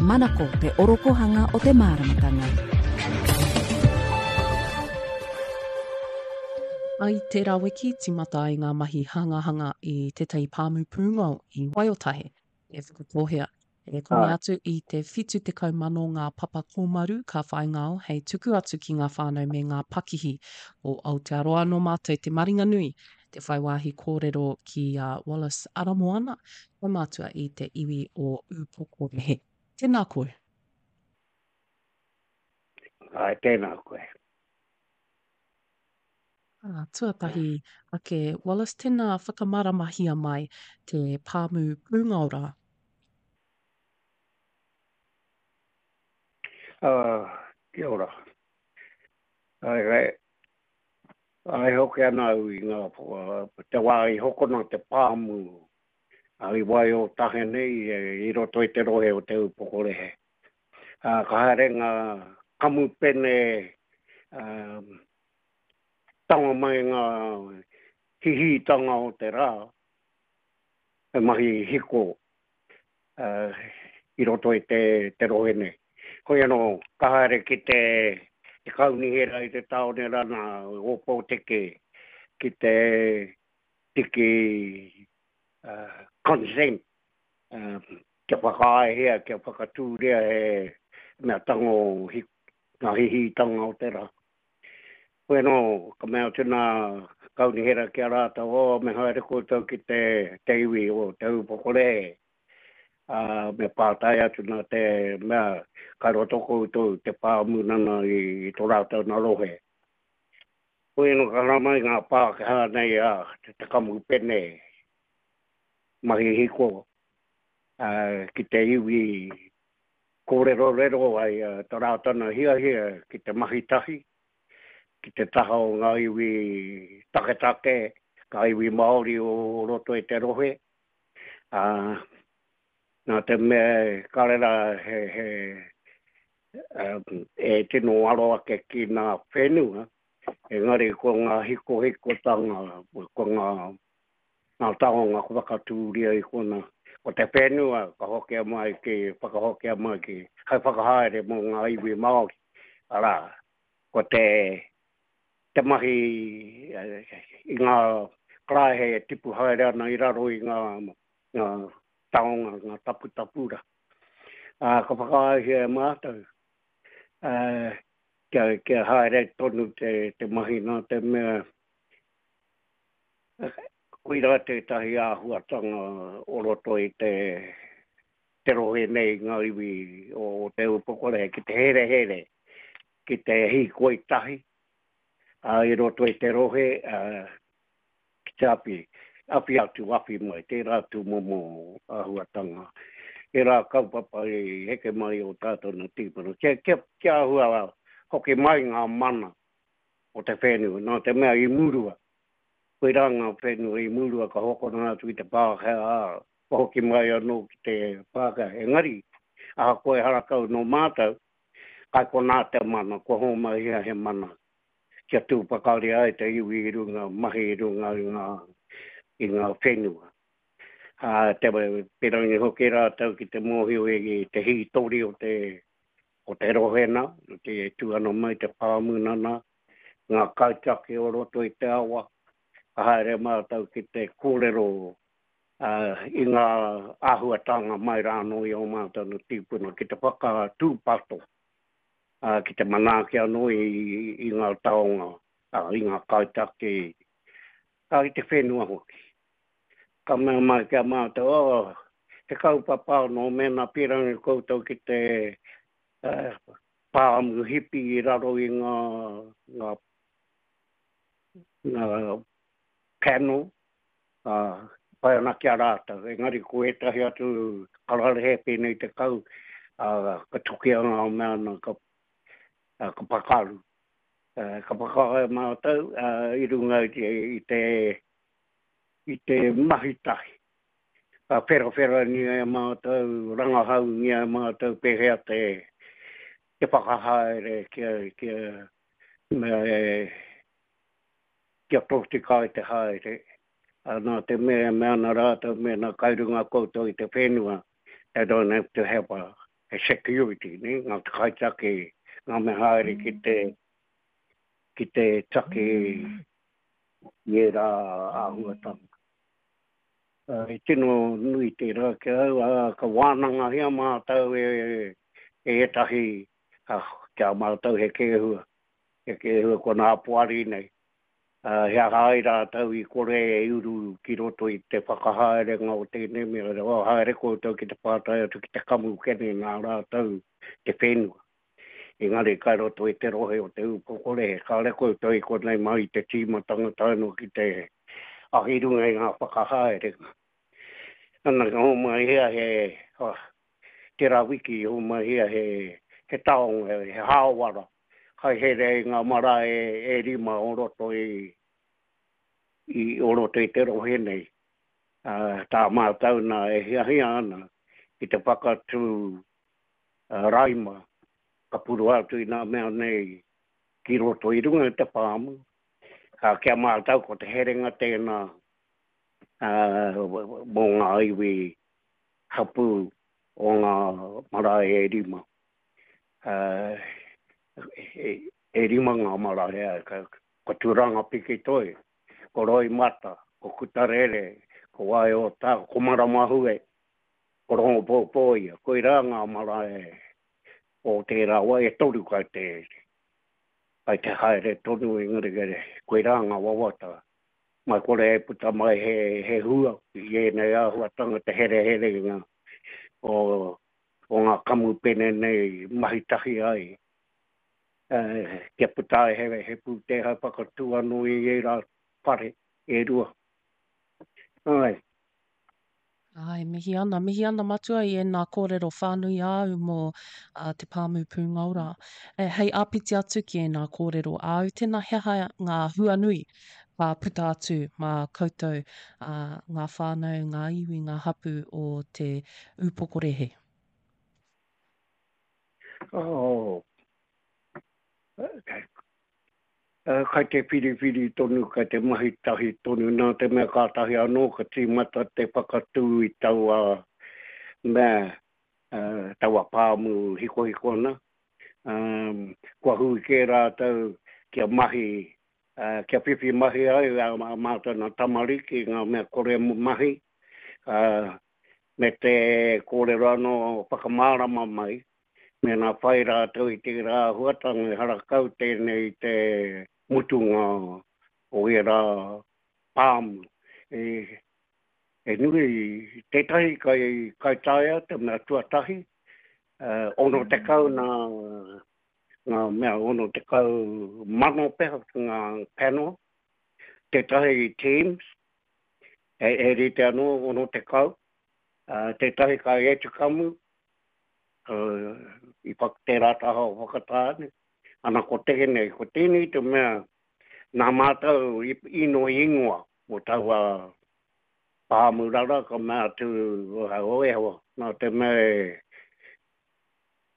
Manako te orokohanga o te māramatanga. I tērā wiki, tīmata ai ngā mahi hangahanga i tētahi pāmu pūngao i Waiotahe, e Whakatōhea. E koni atu i te 70,000 ngā papa kōmaru ka whai ngao hei tuku atu ki ngā whānau me ngā pakihi o Aotearoa. Nō mātou te maringanui te whai wāhi kōrero ki a Wallace Aramoana, kaumātua i te iwi o Ūpokorehe. Tēnā koe. Āe, tēnā koe. Ā, tuatahi ake, Wallace, tēnā whakamāramahia mai te pāmu pūngao rā. Ā, kia ora. Āe, āe, āe hoki ana au i ngā, te wā i hokona te pāmu i Waiotahe nei i roto i te rohe o Te Ūpokorehe. Ā, ka haere ngā kamupene, ā, tango mai ngā hihītanga o te rā, he mahi hiko i roto i te, te rohe nei. Hoi anō, ka haere ki te, te kaunihera i te tāone rana o Ōpōteke ki te tiki uh, consent uh, kia whakaaehia, kia whakatūria he mea tango hi, ngā hihītanga o te rā. Hoi anō, ka mea atu nā kaunihera ki a rātou, oh, me haere koutou ki te, te iwi o Te Ūpokorehe, ā, me pātai atu nā te mea kai roto koutou te pāmu nana i, i tō rātou nā rohe. Hoi anō, ka haramai ngā Pākehā nei a te, te kamupene mahi hiko ā, ki te iwi kōrerorero ai tā rātou nā hiahia ki te mahi tahi, ki te taha o ngā iwi taketake, ngā iwi Māori o roto i te rohe, ā, nā te mea kāre rā he, he, e tino aro ake ki ngā whenua, engari ko ngā hikohikotanga, ko ngā ngā taonga ka whakatūria i kona, ko te whenua ka hokia mai ki, whakahokia mai ki, hai whakahaere mō ngā iwi Māori, arā, ko te, te mahi i ngā karaehe e tipu haere ana i raro i ngā, ngā taonga, ngā taputapu rā. Ā, ka whakaaehia e mātou, ā, kia, kia haere tonu te, te mahi nā te mea, Koirā tētahi āhuatanga o roto i te te rohe nei ngā iwi o Te Ūpokorehe ki te herehere, ki te hīkoi tahi i roto i te rohe ki te awhi, awhi atu, awhi mai, tērā tūmomo āhuatanga. Ērā kaupapa i heke mai o tātou nā tīpuna. Kia, kia, kia āhua hoki mai ngā mana o te whenua, nā te mea i murua. Koirā ngā whenua i murua ka hokona atu ki te Pākehā, ā, kua hoki mai anō ki te Pākehā. Engari, ahakoa ehara kau nō mātou, kai konā te mana, kua hōmaihia he mana kia tū pakari ai te iwi i runga mahi i runga i ngā, i ngā whenua. Ā, te pirangi hoki rātou ki te mōhio i te hītori o te, o te rohe nā, te e tū ana mai te pāmu nana, ngā kaitiaki o roto i te awa, ka haere mātou ki te kōrero i ngā āhuatanga mai rā anō i ō mātou nā tīpuna ki te whakatūpato, ki te manaaki anō i ngā taonga, i ngā kaitiaki, i te whenua hoki. Ka mea mai ki a mātou, oh, he kaupapa anō mēnā pīrangi koutou ki te pāmu hipi i raro i ngā, ngā, ngā panel, ā, pai ana ki a rātou. Engari ko ētahi atu kararehe pēnei te kau, ā, ka tukia ngā mea ana, ka, ā, ka pakaru. Ā, ka whakaae mātou, ā, i runga i te, i te, i te mahi tahi. Ka wherawherangia e mātou, rangahaungia e mātou pēhea te, te whakahaere kia, kia, mea e, kia tōtika ai te haere. Ā, nā te mea e mea ana rātou mēnā kai runga koutou i te whenua, they don't have to have a. he security, nē, ngā kaitiaki, ngā mea haere ki te, ki te taki i ērā āhuatanga. I tino nui tērā ki a au, ā, ka wānangahia mātou e, e ētahi, ki a mātou he kēhua, he kēhua ko nā poari nei. Ā, he aha ai rātou i kore e uru ki roto i te whakahaerenga o tēnei mea, oh, haere koutou ki te pātai atu ki te kamupene nā rātou te whenua. Engari kai roto i te rohe o Te Ūpokorehe, kāre koutou i konei mai i te tīmatanga tae noa ki te ahi runga i ngā whakahaerenga. Ana, ka homai hea he, oh, tērā wiki i homai hea he, he taonga, he hāwara, Kai here i ngā marae e rima o roto i, i, o roto i te rohe nei. Ā, tā mātou nā e hiahia ana ki te whakatū raima ka purua atu i ngā mea nei ki roto i runga i te pāmu. Ā, ki a mātou ko te herenga tēnā, ā, mō ngā iwi hapū o ngā marae e rima. E rima ngā marae, ko Tūranga Pikitoi, ko Roimata, ko Kutarere, ko Waiotā, ko Maramahue, ko Rongopōpōia. Koirā ngā marae o tērā wā, e toru kai te, kai te haere tonu engari koirā ngā wawata. Mai kore e puta mai he, he hua i ēnei āhuatanga te hereherenga o o ngā kamupene nei mahi tahi ai, kia puta ai he, he pūtea hai whakatū anō i ērā whare e rua. Āe. Āe, mihi ana, mihi ana Matua i ēnā kōrero whānui āu mō te pāmu pūngao rā. E, hei āpiti atu ki ēnā kōrero āu, tēnā he aha ngā hua nui ka puta atu mā koutou, ā, ngā whānau, ngā iwi, ngā hapū o Te Ūpokorehe? Oh, kai te whiriwhiri tonu, kai te mahi tahi tonu, nā te mea kātahi anō ka tīmata te whakatū i taua mea, taua pāmu hikohiko ana. Kua hui kē rātou kia mahi kia whiwhi mahi ai ā mātou nā tamariki ngā mea kore mahi, ā, me te kōrero anō whakamārama mai, mēnā whai rātou i tērā āhuatanga ehara kau tēnei i te mutunga o ērā pāmu. E, e nui tētahi kai, kai taea te mea tuatahi, 60 nā ngā mea 60,000 pea ngā panel, tētahi Teams, he, he rite anō 60, uh, tētahi kai Etukamu, uh, i whak, tērā taha o Whakatāne, ana ko tēnei, ko tēnei te mea nā mātou i, inoi ingoa mō taua pāmurara ka mea atu, o e hoa, nā te mea e,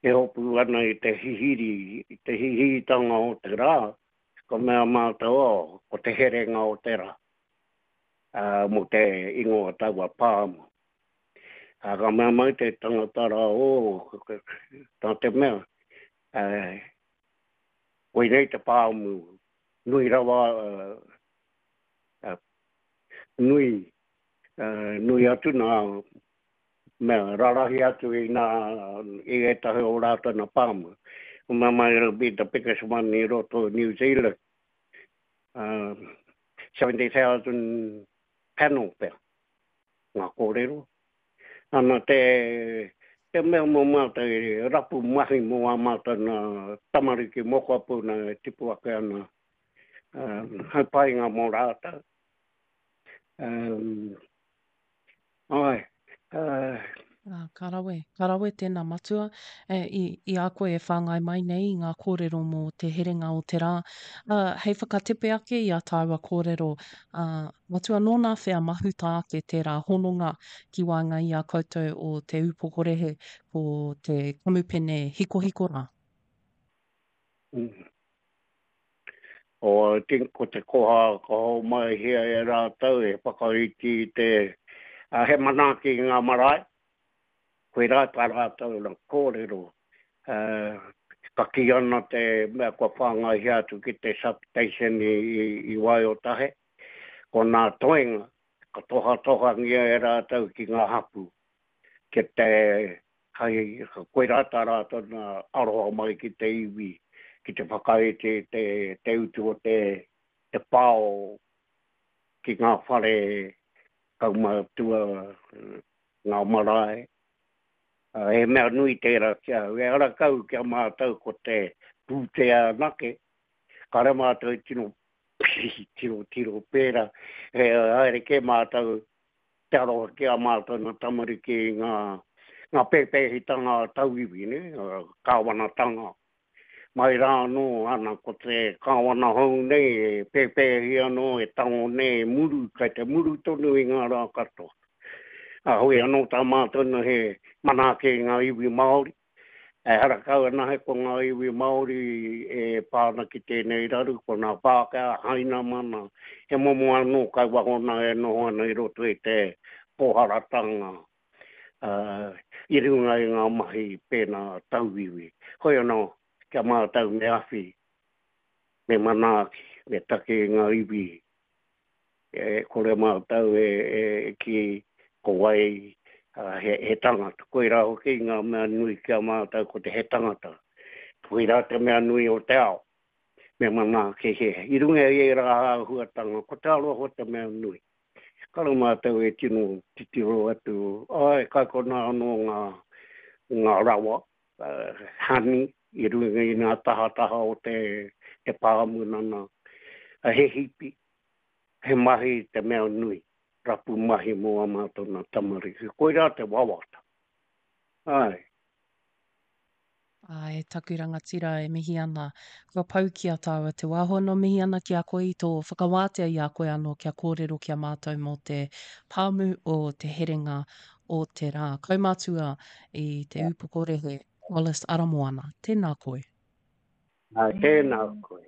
e hopu ana i te hihiri, i te hihiritanga o te rā, ka mea mātou, oh, ko te herenga o te rā, ā, mō te ingoa taua pāmu. Ā, ka mea mai te tangata rā, oh, tā te mea, ā, koinei te pāmu nui rawa, ā, nui, ā, nui atu nā mea rarahi atu i nā, i ētahi o rātou nā pāmu. Ko mea mai it'll be the biggest one i roto New Zealand. 70,000 panel pea ngā kōrero. Ana te, te mea mō mātou e rapu mahi mō ā mātou nā tamariki mokopuna e tipu ake ana, um, hai painga mō rātou. Um, Āe. Ā, ka rawe, ka rawe tēnā matua. E, i, i a koe e whāngai mai nei i ngā kōrero mō te herenga o te rā. Ā, hei whakatepe ake i a tāua kōrero, ā, matua nōna whea mahuta ake tērā hononga ki waenga i a koutou o Te Ūpokorehe ko te kamupene hikohiko rā? Mm. O, I think ko te koha ka hōmaihia e rātou he whakaiti i te, he manaaki i ngā marae. Koirā tā rātou na kōrero, ka kī ana te mea kua whāngaihia atu ki te substation i Waiotahe, ko nā toenga ka tohatohangia e rātou ki ngā hapū, ki te hai, koirā tā rātou nā aroha mai ki te iwi, ki te whakaiti te, te utu o te, te pao ki ngā whare kaumātua, ngā marae. He mea nui tērā ki ahau. Ehara kau ki a mātou ko te pūtea anake, kāre mātou i tino tirotiro pērā. He haere kē mātou te aroha ki a mātou nā tamariki i ngā, ngā pēpēhitanga a tauiwi, nē, kāwanatanga. Mai rā anō, ana, ko te kāwana hou nei e pēpēhi anō, e tango nei, e muru, kai te muru tonu i ngā rā katoa. Ā, hoi anō tā mātou nā he manaaki i ngā iwi Māori, Ehara kau anahe ko ngā iwi Māori e pā ana ki tēnei raru, ko ngā Pākehā, Hainamana, he momo anō kai waho nā e noho ana i roto i te pōharatanga i runga i ngā mahi pēnā tauiwi. Hoi anō, kia mātau me awhi, me manaaki, me taki i ngā iwi E kore mātou e kī ko wai he tangata. Koirā hoki ngā mea nui ki a mātou ko te he tangata. Koirā te mea nui o te ao. Me manaaki he. I runga i ērā āhuatanga, ko te aroha te mea nui. Kare mātou e tino titiro atu, āe, kai konā anō ngā, ngā rawa, hani, i runga i ngā tahataha o te, te pāmu nana, he hipi, He mahi te mea nui, rapu mahi mō ā mātou nā tamariki. Koirā te wawata. Āe. Āe, taku rangatira e mihi ana. Kua pau ki a tāua te wā. Hoi anō mihi ana ki a koe i tō whakawātea i a koe anō kia kōrero ki a mātou mō te pāmu o te herenga o te rā. Kaumātua i Te Ūpokorehe, Wallace Aramoana, tēnā koe. Āe, tēnā koe.